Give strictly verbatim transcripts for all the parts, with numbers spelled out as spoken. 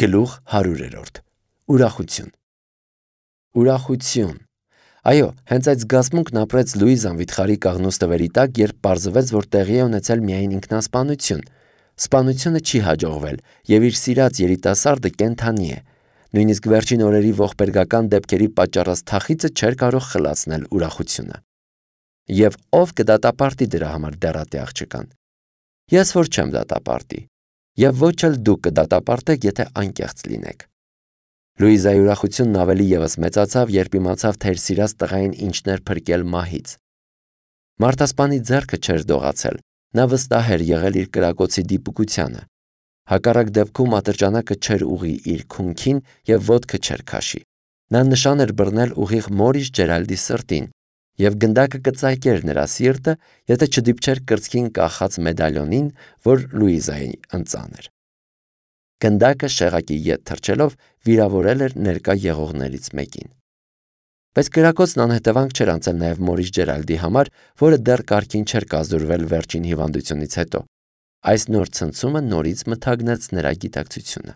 Գլուխ հարյուրերորդ Ուրախություն Ուրախություն Այո, հենց այդ զգացմունքն ապրեց Լուիզան վիթխարի կաղնու ստվերի տակ, երբ պարզվեց, որ տեղի է ունեցել միայն ինքնասպանություն։ Սպանությունը չի հաջողվել, եւ իր սիրած երիտասարդը կենդանի է։ Նույնիսկ վերջին օրերի ողբերգական դեպքերի պատճառած թախիծը չէր կարող խլացնել ուրախությունը։ Եվ ով կդատապարտի դրա համար դեռատի աղջկան։ Ես որ չեմ դատապարտի, եւ ոչ էլ դուք կդատապարտեք, եթե անկեղծ լինեք։ Լուիզայի ուրախությունն ավելի ևս մեծացավ, երբ իմացավ, թե իր սիրած տղային ինչն էր փրկել մահից։ Մարտասպանի ձեռքը չէր դողացել, նա վստահ էր եղել իր կրակոցի դիպուկությանը։ Հակառակ դեպքում ատրճանակը չէր ուղի իր քունքին եւ ոտքը չէր քաշի։ Նա նշան էր բռնել ուղիղ Մորիս Ջերալդի սրտին, եւ գնդակը կծայկեր նրա սիրտը, եթե չդիպչեր կրծքին կախած մեդալյոնին, որ Լուիզային ընծաներ։ Գնդակը շեղակի ետ թռչելով վիրավորել էր ներկա եղողներից մեկին։ Բայց կրակոցն անհետևանք չէր անցել նաև Մորիս Ջերալդի համար, որը դեռ կարգին չէր կազդուրվել վերջին հիվանդությունից հետո։ Այս նոր ցնցումը նորից մթագնեց նրա գիտակցությունը։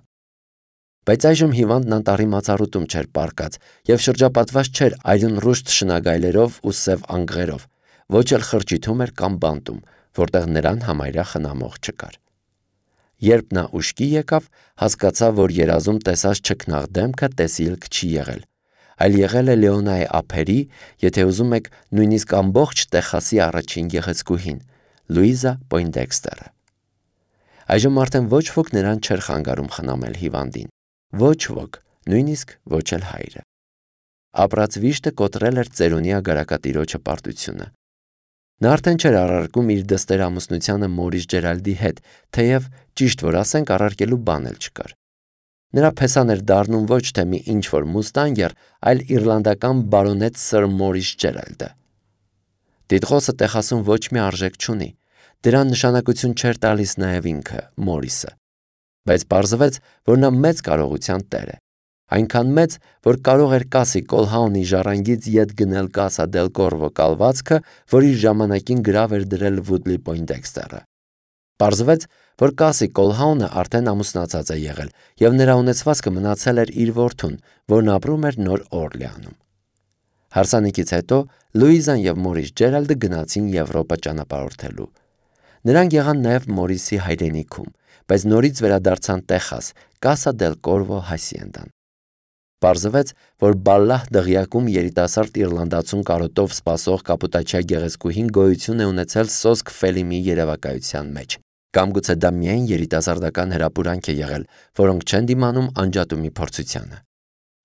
Բայց այժմ հիվանդն անտառի մածառուտում չէր պառկած եւ շրջապատված չէր այլուն ռուշտ շնագայլերով ու սև անգղերով, ոչ էլ խրճիթում էր կամ բանտում, որտեղ նրան համարյա խնամող չկար։ Երբ նա ուշքի եկավ, հասկացավ, որ երազում տեսած չքնաղ դեմքը տեսիլք չի եղել, այլ եղել է Լեոնայի ափերի, եթե ուզում եք, նույնիսկ ամբողջ Տեխասի առաջին գեղեցկուհին՝ Լուիզա Պոյնդեքստերը։ Այժմ արդեն ոչ ոք նրան չէր խանգարում խնամել հիվանդին, ոչ ոք, նույնիսկ ոչ էլ հայրը։ Ապրած վիշտը կոտրել էր ծերունի ագարակատիրոջը պարտությունը։ Նա արդեն չէր առարկում իր դստեր ամուսնությանը Մորիս Ջերալդի հետ, թեև ճիշտ որ ասենք առարկելու բան էլ չկար։ Նրա փեսան էր դառնում ոչ թե մի ինչ-որ մուստանգեր, այլ իռլանդական բարոնետ Սըր Մորիս Ջերալդը։ Տիտղոսը Տեխասում ոչ մի արժեք չունի, դրան նշանակություն չէր տալիս նաև ինքը Մորիսը։ Բայց պարզվեց, որ նա մեծ կարողության տեր է, այնքան մեծ, որ կարող էր Կասի Կոլհաունի ժառանգից ետ գնել Կասա դել Կորվո կալվածքը, որ իր ժամանակին գրավ էր դրել Վուդլի Պոյնդեքստերը։ Պարզվեց, որ Կասի Կոլհաունը արդեն ամուսնացած է եղել, եւ նրա ունեցվածքը մնացել էր իր որդուն, որն ապրում էր Նոր Օրլեանում։ Հարսանիքից հետո Լուիզան եւ Մորիս Ջերալդը գնացին Եվրոպա ճանապարհորդելու։ Նրանք եղան նաև Մորիսի հայրենիքում, բայց նորից վերադարձան Տեխաս, Կասա դել Կորվո հասիենդան։ Պարզվեց, որ Բալլահ դղյակում երիտասարդ իռլանդացուն կարոտով սպասող կապուտաչյա գեղեցկուհին գոյություն է ունեցել Սոսկ Ֆելիմի երևակայության մեջ, կամ գուցե դա միայն երիտասարդական հրապուրանք է եղել, որոնք չեն դիմանում անջատումի փորձությանը։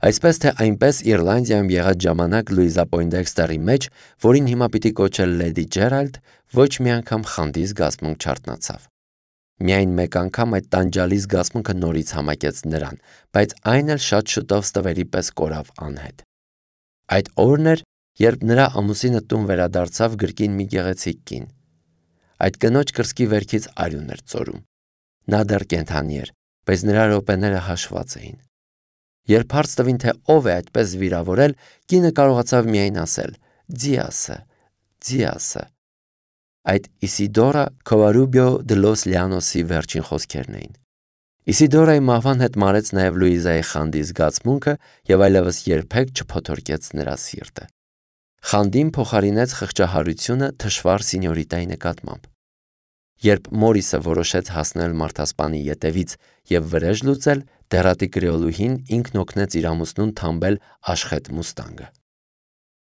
Այսպես թե այնպես Իռլանդիայում եղած ժամանակ Լուիզա Պոյնդեքստերի մեջ, որին հիմա պիտի կոչել Լեդի Ջերալդ, ոչ մի անգամ խանդի զգացմունք չարթնացավ։ Միայն մեկ անգամ այդ տանջալի զգացմունքը նորից համակեց նրան, բայց այն էլ շատ շուտով ստվերի պես կորավ անհետ։ Այդ օրն էր, երբ նրա ամուսինը տուն վերադարձավ գրկին մի գեղեցիկ կին։ Այդ կնոջ կրծքի վերքից արյուն էր ծորում։ Նա դեռ կենդանի էր, բայց նրա րոպեները հաշված էին։ Երբ հարց տվին, թե ով է այդպես վիրավորել, կինը կարողացավ միայն ասել. «Ձիասը, Ձիասը»։ Այդ Իսիդորա Քովարուբիո դե լոս Լիանոսի վերջին խոսքերն էին։ Իսիդորայի մահվան հետ մարեց նաև Լուիզայի խանդի զգացմունքը եւ այլևս երբեք չփոթորկեց նրա սիրտը։ Խանդին փոխարինեց խղճահարությունը թշվառ սինյորիտայի նկատմամբ։ Երբ Մորիսը որոշեց հասնել մարդասպանի ետևից եւ վրեժ լուծել, դեռատի կրեոլուհին ինքն օգնեց իր ամուսնուն թամբել աշխետ մուստանգը։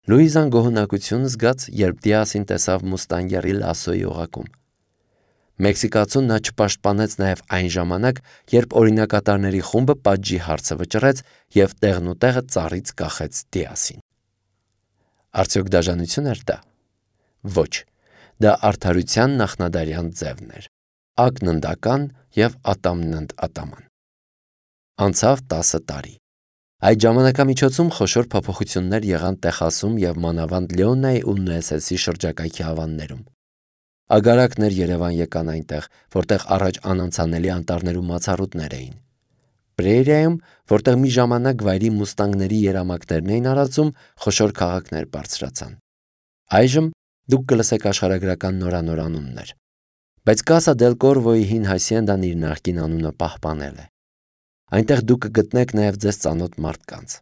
Լուիզան գոհունակություն զգաց, երբ Դիասին տեսավ մուստանգերի լասոյի օղակում։ Մեքսիկացուն նա չպաշտպանեց նաև այն ժամանակ, երբ օրինակատարների խումբը պատժի հարցը վճռեց եւ տեղնուտեղը ծառից կախեց Դիասին։ Արդյոք դաժանություն էր դա։ Ոչ, դա արդարության նախնադարյան ձևն էր, ակննդական եւ ատամնընդ ատաման։ Անցավ տասը տարի։ Այդ ժամանակամիջոցում խոշոր փոփոխություններ եղան Տեխասում եւ մանավանդ Լեոնայի ու Նուեսեսի շրջակայքի ավաններում։ Ագարակներ Երևան եկան այնտեղ, որտեղ առաջ անանցանելի անտառներում մացառուտներ էին։ Պրերիայում, որտեղ մի ժամանակ վայրի մուստանգների երամակներն էին արածում, խոշոր քաղաքներ բարձրացան։ Այժմ դուք կլսեք աշխարհագրական նորանոր անուններ։ Բայց Կասա դել Կորվոյի հին հասիենդան իր նախկին անունը պահպանել է։ Այնտեղ դուք կգտնեք նաև ձեզ ծանոթ մարդկանց։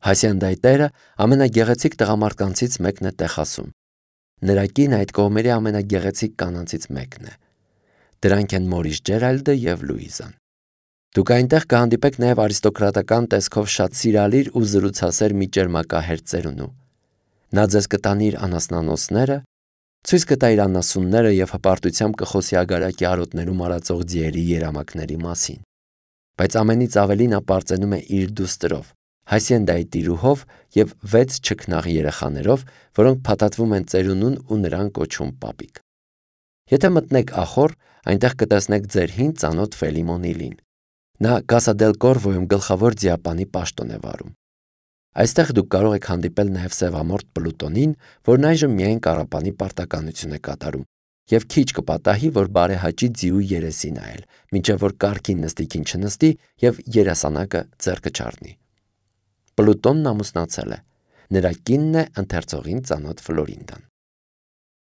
Հասիանդայի տերը ամենագեղեցիկ տղամարդկանցից մեկն է Տեխասում։ Նրա կինը այդ կողմերի ամենագեղեցիկ կանանցից մեկն է։ Դրանք են Մորիս Ջերալդը և Լուիզան։ Դուք այնտեղ կհանդիպեք նաև արիստոկրատական տեսքով շատ սիրալիր ու զրուցասեր մի ճերմակահեր ծերունու։ Նա ձեզ կտանի իր անասնանոցները, ցույց կտա իր անասունները և հպարտությամբ կխոսի ագարակի արոտներում արածող ձիերի երամակների մասին։ Բայց ամենից ավելի նա պարծենում է իր դուստրով, Հասիենդայի տիրուհով և վեց չքնաղ երեխաներով, որոնք փաթաթվում են ծերունուն ու նրան կոչում պապիկ։ Եթե մտնեք ախոր, այնտեղ կտեսնեք ձեր հին ծանոթ Ֆելիմոնիլին։ Նա Կասա դել Կորվոյում գլխավոր ձիապանի պաշտոն է վարում։ Այստեղ դուք կարող եք հանդիպել նաև սևամորթ Պլուտոնին, որն այժմ միայն կառապանի պարտականություն է կատարում, և քիչ կպատահի, որ բարեհաճի ձիու երեսի նայել, մինչև որ կառքին նստիքին չնստի և երասանակը ձեռքը չառնի։ Պլուտոնն ամուսնացել է։ Նրա կինն է ընթերցողին ծանոթ Ֆլորինդան։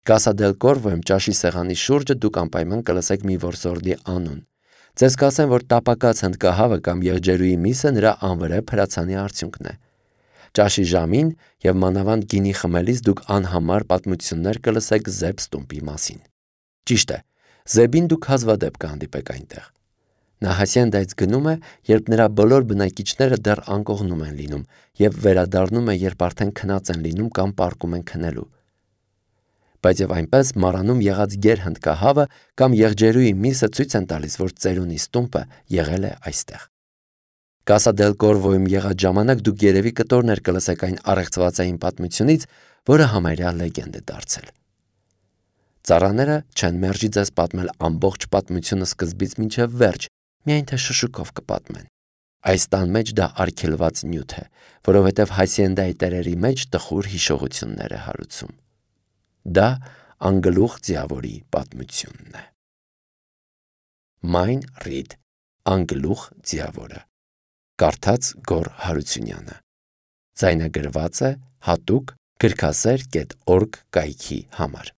Կասա դել Կորվոյում ճաշի սեղանի շուրջը դուք անպայման կլսեք մի որսորդի անուն։ Ձեզ կասեն, որ տապակած հնդկահավը կամ եղջերուի միսը նրա անվրեպ հրացանի արդյունքն է։ Ճաշի ժամին և մանավանդ գինի խմելիս դուք անհամար պատմություններ կլսեք Զեբ Ստումպի մասին։ Ճիշտ է, Զեբին դուք հազվադեպ կհանդիպեք այնտեղ։ Նա Հասիենդայից գնում է, երբ նրա բոլոր բնակիչները դեռ անկողնում են լինում, և վերադառնում է, երբ արդեն քնած են լինում կամ պառկում են քնելու։ Բայց և այնպես մառանում եղած գեր հնդկահավը կամ եղջերուի միսը ցույց են տալիս, որ ծերունի Ստումպը եղել է այստեղ։ Կասա դել Կորվոյում եղած ժամանակ դուք երևի կտորներ կլսեք այն առեղծվածային պատմությունից, որը համարյա լեգենդ է դարձել։ Ծառաները չեն մերժի ձեզ պատմել ամբողջ պատմությունը սկզբից մինչև վերջ, միայն թե շշուկով կպատմեն։ Այս տան մեջ դա արգելված նյութ է, որովհետև Հասիենդայի տերերի մեջ տխուր հիշողություններ է հարուցում։ Դա անգլուխ ձիավորի պատմությունն է։ Մայն Ռիդ, Անգլուխ ձիավորը։ Կարդաց Գոռ Հարությունյանը։ Ձայնագրված է հատուկ գրքասեր կետ օրգ կայքի համար։